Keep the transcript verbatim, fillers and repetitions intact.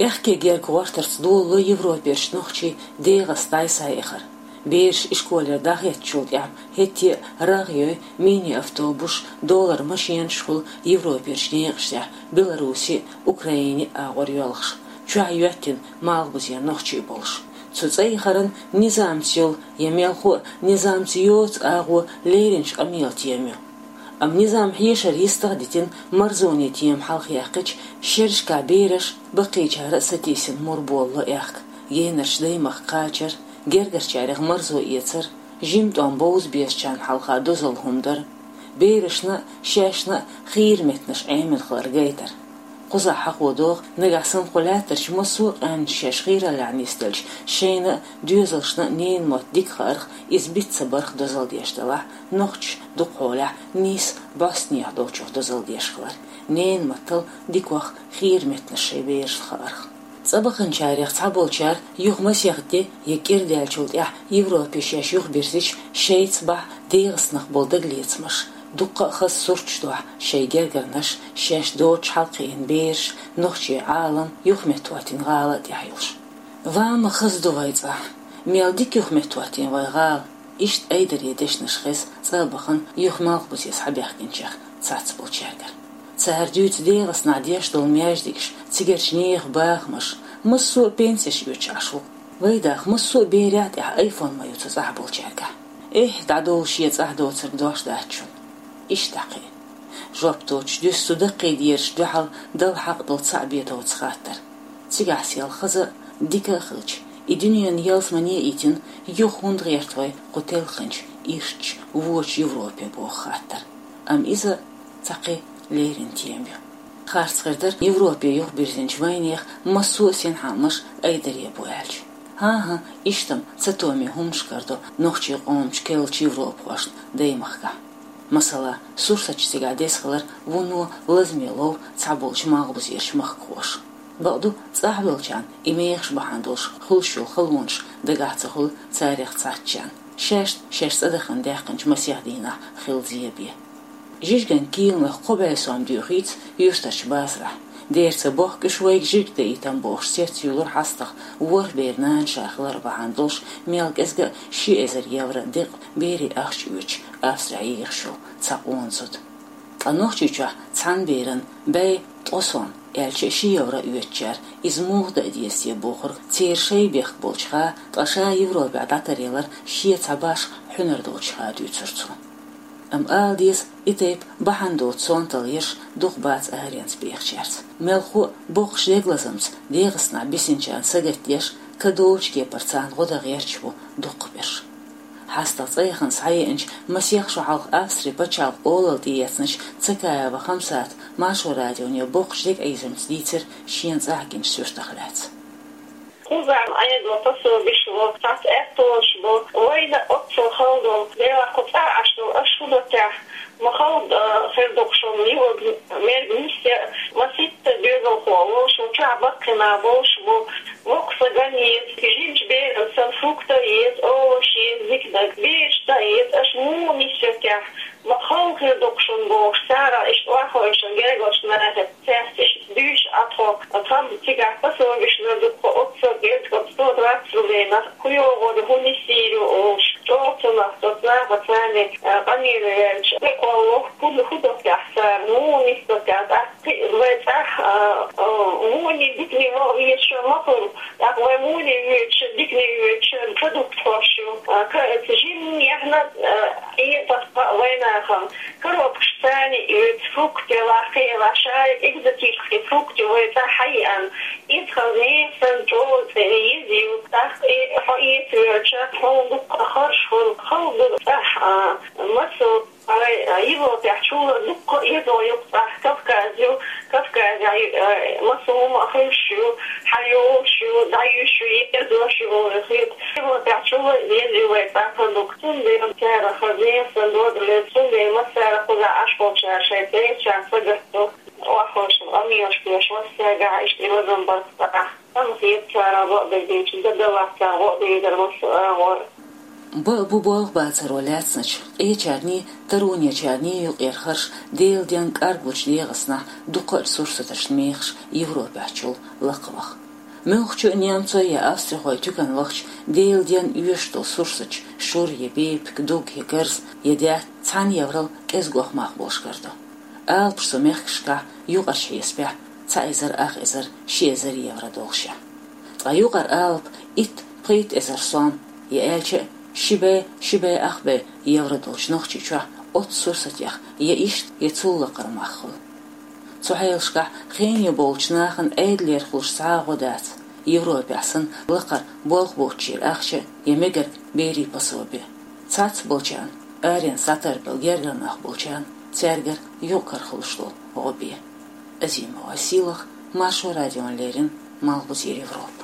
Аьхке герга гӀортарца долало европерчу нохчийн ДегӀаста дӀай-схьай эхар. Бераш ишколера дӀахӀоьттичул тӀаьхьа хӀетте а рагӀ йой мини-автобусаш, долара машенаш хуьлу европерчу некъаш тӀехь Беларуси а, Украини а агӀор йоьлхуш, чохь йоьттина малхбузера нохчий болуш. Цу цӀа яхаран низамца йолу я мелхо а низамца йоцу агӀо леринчу къамелан тема ю. Амма низам хьешар йистах а дитина, марзонийн тема хьалха яьккхича, шерашкахь бераш, баккхийчара а сатийсина, мур болало аьхка, генарчу даймахка кхачар, гергарчарех марзо эцар, жима тӀом бовза безачарна хьалха дозалла хӀума дар, берашна а, шаьшна а хийра меттанаш Ӏемина хилар гайтар. Кхузахь хьахо догӀу, нагахь санна кху лаьттарчу массо а къаьмнаш шаьш хийраллехь нисделча, шайна а, доьзалшна а ненан мотт дика хаарх, иза биц ца барх дозалла деш делахь, нохчаша дукхахьолехь нийса бӀостанехьа долчух дозалла деш хилар, ненан маттал дикох хийра меттанаш шайн берашна хаарх. ЦӀа баханчарех цхьаболчара юха масех де я кӀира даьллачул тӀаьхьа Европе шаьш юхабирзича, шайца бахьа ДегӀастанах болу дагалецамаш, дуккха а хаза сурташ дохьа шайн гергарнаш, шаьш доцуш хьалакхиъна бераш, нохчийн Ӏалам юхаметтахӀоттийна гӀала а тӀехь йолуш. Ва ма хаза ду вай цӀахь, мел дика юхаметтахӀоттийна вай гӀала, иштта айдаре дешнаш хеза цӀа а бахана юха малхбузе схьабаьхкинчех цхьацболчаьргара. Цара дуьйцу ДегӀастанахь деш долу маьждигаш, цигарчу нехан бахамаш, массо а пенсеш оьцуш Ӏаш ву. Вай даха массо а берехь а тӀехь айфон ма ю цу цӀахь болчаьргахь. Эхь, дӀадовла шен цӀахь доцург дош дац шуна. Иштта кхин. Жоп доцуш дуьсу цу даккхийдераш дуьхьал дала хьакъ долу цхьаъ бетовца хаттар. Цигахь сел хаза а, дика а хилча, и дуьненан ялсамане а йитина, юха хӀунда гӀерта вай кху телхинчу, ирчча, вочу Европе боху хаттар. Амма иза цхьа кхин леррина тема ю. Харц хир дара Европе юхабирзинчу вайнехан массо а синхьаамаш айдаре бу аьлча. ХӀан-хӀа, иштта-м цатоме хӀуманаш карадо нохчийн къомаша керлачу европахошна даймахкахь. Масала, Сурсатчу цигахь деза хилар вуно лазаме лов цхьаболчу малхбузерчу махкахоша. Бакъду, цӀахь веллачарна и мехаш бахьана долуш хуьлуш йолу халонаш дагахь ца хуьлу царех цхьаьнчарна. Шаьш, шаьш цӀа дахана даьккхинчу масех дийнахь хилла зен бен. Жижиган кийланах кхо бӀе сом доьхуьйту юьртарчу базарахь. Дера ца бохку уьш вайга жижиг даийтам бохуш, цец юьллура хьастагӀа ворхӀ бер нана ша хилар бахьана долуш, мел кӀезга а ши эзар евро декъа берийн ахча оьцуш Австрехь йийхаш йолу цхьа къона зуда. Ткъа Нохчийчохь цхьана беран бӀе ткъа сом, аьлча а ши евро оьцучара иза муха даа деза те бохург церан шайн бехк болчуха, ткъа ша Европехь дӀатаръялар шен цхьа башха хьуьнар долчуха дуьйцура цо. Амма ала деза, и тайпа бахьана доцу сонталла еш дукха бац аренца бехачаьрца. Мелхо а боккхачу дегалазамца ДегӀастанахь бисинчарна сагатдеш, кадолчу кепара царна гӀо дан гӀерташ бу дукхахберш. ХьастагӀа цӀа яхана схьаеанчу масех шо хьалха Австрин пачхьалкхан олалла тӀеэцначу Цакаева Хамсата Маршо радионе боккхачу дегӀаийзамца дийцира шена цӀахь гиначу суьртах лаьцна. Кхузахь Ӏедало пособиш бо, цхьацца аьттонаш бо, вайна оццул хала долу, Делахь кху цӀахь Ӏаш долу аша хӀун до техьа, ма хала, а, хир ду-кх шуна, юха мерг нисъян, маситта доьзалхо волуш, шун чохь баккхина болуш бу, воккха са ган еза, жимачу беран санна фрукта еза, овощ еза, зикдаг, бераш дан еза, аша муха нисъян техьа, ма хала хир ду-кх шуна бохуш, цара иштта охьахевшина гергарчу нахе. Цаьрца иштта дуьйцуш Ӏа тхо, тхан цигахь пособиш лар ду тхо, оццул герга тхо сто двадцать рублей нах кху йогӀур ю, хӀун нисйийр ю олуш, чӀогӀа ца нах, со цӀахь а царна, а, къамеле ваьлча, декъалло, хӀун, хӀун до техьа цара, муха нисдо техьа, тӀаккха кхин а вай цӀахь, а, а, вуний диканий ваха везаш ма хуьлу, тӀаккха вай вуний воьдуш, диканий воьдуш, продукт хьош ю, а, ка-, жимма яхна, а, Ӏе тахка вайнахана. Коробкаш царна оьцу, фрукты лахкхе, лашаре, экзотический фрукты вай цӀа хьайиъан. Иза хаза нехан санна чӀогӀа цӀе еза ю, тӀаккха и хьо эца воьлча, хьуна дуккха а харж хуьлу, хала ду цӀахь, а, массо а, а, Европехь чула дуккха а езо ю цӀахь, Кавказ ю, Кавказехь, а, массо а хӀума а хуьлуш ю, хьайолуш ю, дӀаюьйш ю, ерзош ю, хир. Европехь чула еза ю вай цӀа продукт. Цундела цара хаза нехан санна дода леза, цундела массара кхузахь Ӏаш болчара шайн цӀерачарна сагатду, охьахевшина къамелаш деш, массаьргахь иштта и лазам бар цӀахь. Амма хета цара бакъдерг дийцича, дан даллалц цара гӀо а дийр дара массо а агӀор. Бакъ бу болх бацаро лаьцначу, къечарний, таронечарний юкъера харш Делан денна кӀаргучу ДегӀастанахь дукхачу сурсаташна мехаш Европехь чул лакхаваха. Муьлххачу немцой я австрихой туькан вахча, Делан денна оьшуш долу сурсаташ шура я бепиг, дуг я гарз я даьтта цхьана еврал кӀезиг охьамах болуш карадо. Алапаш цу мехкашкахь юкъарчу хьесапехь цхьа эзар, ах эзар, ши эзар евро долуш я. Ткъа юкъара алапа итт, пхийтта эзар сом, я аьлча а ши бӀе, ши бӀе, ах бӀе евро долчу Нохчийчохь оццу сурсатех я иштта, я цул лакхара мах хуьлу. Цу хьелашкахь хене болчу нахана Ӏедалера хуьлуш цхьа а гӀо дац, Европехь санна лакхара болх боцучеран ахча я мегарг берийн пособи. Цхьацца болчарна, аренца схьатарбелла гергара нах болчарна, цаьргара юкъара хуьлуш долу гӀо бен. Азимова Сийлаха, Маршо радиона леррина, Малхбузера Европа.